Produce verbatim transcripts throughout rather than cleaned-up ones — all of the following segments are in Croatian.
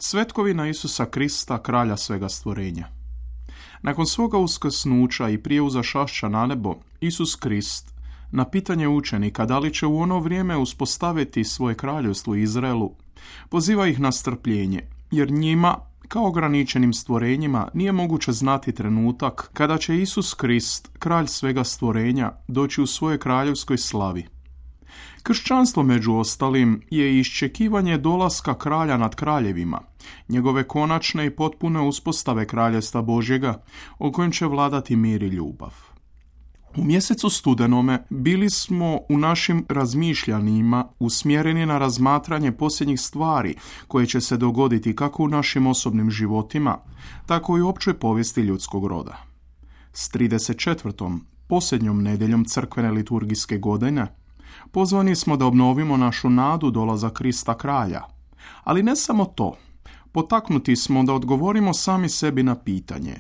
Svetkovina Isusa Krista, kralja svega stvorenja. Nakon svoga uskrsnuća i prije uzašašća na nebo, Isus Krist na pitanje učenika da li će u ono vrijeme uspostaviti svoje kraljevstvo Izraelu, poziva ih na strpljenje, jer njima, kao ograničenim stvorenjima, nije moguće znati trenutak kada će Isus Krist, kralj svega stvorenja, doći u svojoj kraljevskoj slavi. Kršćanstvo, među ostalim, je iščekivanje dolaska kralja nad kraljevima, njegove konačne i potpune uspostave kraljevstva Božjega, o kojem će vladati mir i ljubav. U mjesecu studenome bili smo u našim razmišljanjima usmjereni na razmatranje posljednjih stvari koje će se dogoditi kako u našim osobnim životima, tako i u općoj povijesti ljudskog roda. S trideset četvrtom posljednjom nedjeljom crkvene liturgijske godine pozvani smo da obnovimo našu nadu dolaza Krista kralja. Ali ne samo to, potaknuti smo da odgovorimo sami sebi na pitanje: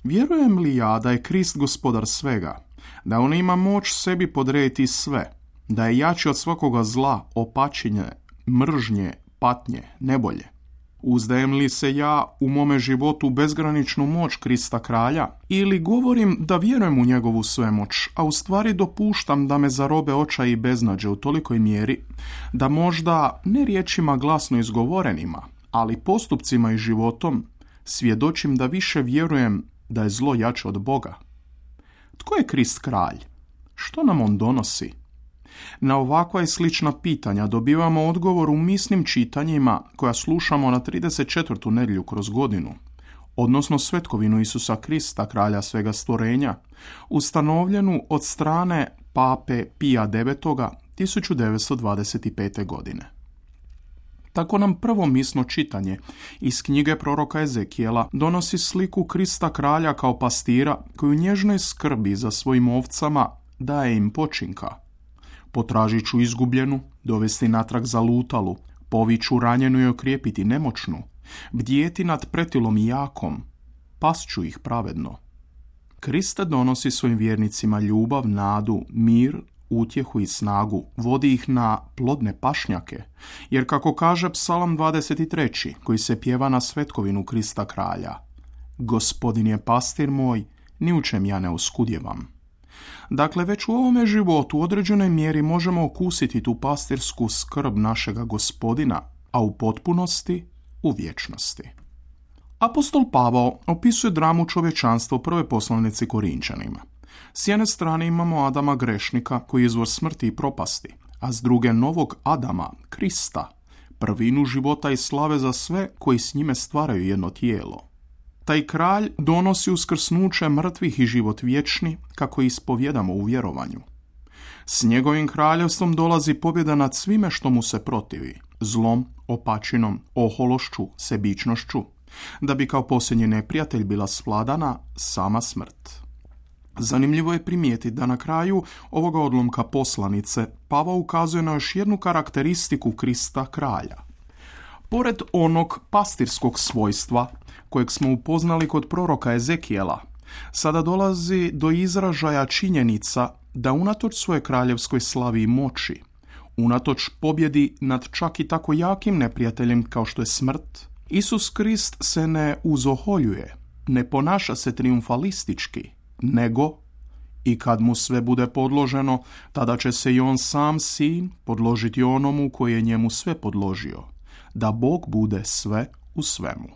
vjerujem li ja da je Krist gospodar svega, da on ima moć sebi podrediti sve, da je jači od svakoga zla, opačinje, mržnje, patnje, nebolje? Uzdajem li se ja u mome životu u bezgraničnu moć Krista kralja, ili govorim da vjerujem u njegovu svemoć, a u stvari dopuštam da me zarobe očaj i beznađe u tolikoj mjeri da možda ne riječima glasno izgovorenima, ali postupcima i životom svjedočim da više vjerujem da je zlo jače od Boga? Tko je Krist kralj? Što nam on donosi? Na ovakva i slična pitanja dobivamo odgovor u misnim čitanjima koja slušamo na trideset četvrtu nedjelju kroz godinu, odnosno svetkovinu Isusa Krista, kralja svega stvorenja, ustanovljenu od strane pape Pija devetoga tisuću devetsto dvadeset pete. godine. Tako nam prvo misno čitanje iz knjige proroka Ezekijela donosi sliku Krista kralja kao pastira koji u nježnoj skrbi za svojim ovcama daje im počinka. Potražit ću izgubljenu, dovesti natrag zalutalu, poviću ranjenu i okrijepiti nemoćnu, bdjeti nad pretilom i jakom, pasću ih pravedno. Kriste donosi svojim vjernicima ljubav, nadu, mir, utjehu i snagu, vodi ih na plodne pašnjake, jer kako kaže Psalam dvadeset treći, koji se pjeva na svetkovinu Krista kralja: Gospodin je pastir moj, ni u čem ja ne oskudjevam. Dakle, već u ovome životu u određenoj mjeri možemo okusiti tu pastirsku skrb našega Gospodina, a u potpunosti u vječnosti. Apostol Pavao opisuje dramu čovječanstva u prvoj poslanici Korinčanima. S jedne strane imamo Adama grešnika koji je izvor smrti i propasti, a s druge novog Adama, Krista, prvinu života i slave za sve koji s njime stvaraju jedno tijelo. Taj kralj donosi uskrsnuće mrtvih i život vječni, kako ispovjedamo u vjerovanju. S njegovim kraljevstvom dolazi pobjeda nad svime što mu se protivi, zlom, opačinom, ohološću, sebičnošću, da bi kao posljednji neprijatelj bila svladana sama smrt. Zanimljivo je primijetiti da na kraju ovoga odlomka poslanice Pavao ukazuje na još jednu karakteristiku Krista kralja. Pored onog pastirskog svojstva kojeg smo upoznali kod proroka Ezekijela, sada dolazi do izražaja činjenica da unatoč svoje kraljevskoj slavi i moći, unatoč pobjedi nad čak i tako jakim neprijateljem kao što je smrt, Isus Krist se ne uzoholjuje, ne ponaša se triumfalistički, nego i kad mu sve bude podloženo, tada će se i on sam sin podložiti onomu koji je njemu sve podložio, da Bog bude sve u svemu.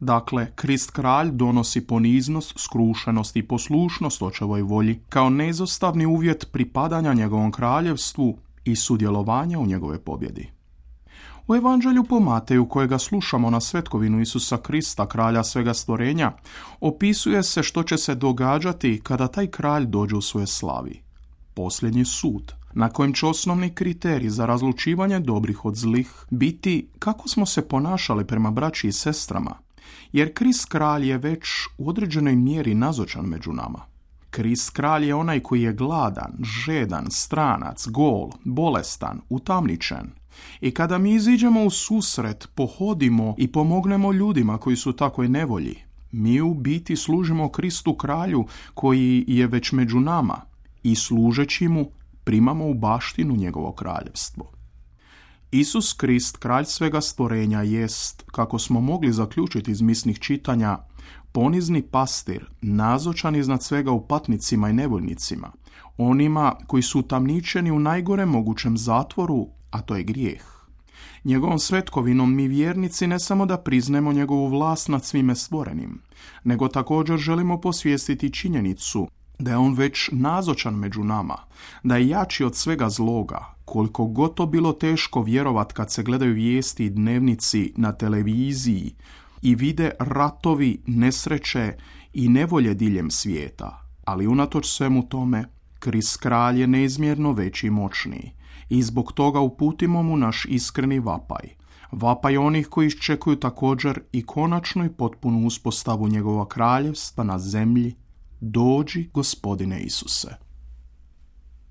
Dakle, Krist kralj donosi poniznost, skrušenost i poslušnost očevoj volji kao neizostavni uvjet pripadanja njegovom kraljevstvu i sudjelovanja u njegove pobjedi. U Evanđelju po Mateju, kojega slušamo na svetkovinu Isusa Krista, kralja svega stvorenja, opisuje se što će se događati kada taj kralj dođe u svoje slavi. Posljednji sud, na kojem će osnovni kriterij za razlučivanje dobrih od zlih biti kako smo se ponašali prema braći i sestrama, jer Krist kralj je već u određenoj mjeri nazočan među nama. Krist kralj je onaj koji je gladan, žedan, stranac, gol, bolestan, utamničen. I kada mi iziđemo u susret, pohodimo i pomognemo ljudima koji su u takvoj nevolji, mi u biti služimo Kristu kralju koji je već među nama i služeći mu primamo u baštinu njegovo kraljevstvo. Isus Krist, kralj svega stvorenja, jest, kako smo mogli zaključiti iz misnih čitanja, ponizni pastir, nazočan iznad svega u patnicima i nevoljnicima, onima koji su utamničeni u najgorem mogućem zatvoru, a to je grijeh. Njegovom svetkovinom mi vjernici ne samo da priznemo njegovu vlast nad svime stvorenim, nego također želimo posvijestiti činjenicu da je on već nazočan među nama, da je jači od svega zloga, koliko god to bilo teško vjerovat kad se gledaju vijesti i dnevnici na televiziji i vide ratovi, nesreće i nevolje diljem svijeta, ali unatoč svemu tome, Krist kralj je neizmjerno veći i moćniji i zbog toga uputimo mu naš iskreni vapaj. Vapaj onih koji iščekuju također i konačnu i potpunu uspostavu njegova kraljevstva na zemlji. Dođi, Gospodine Isuse.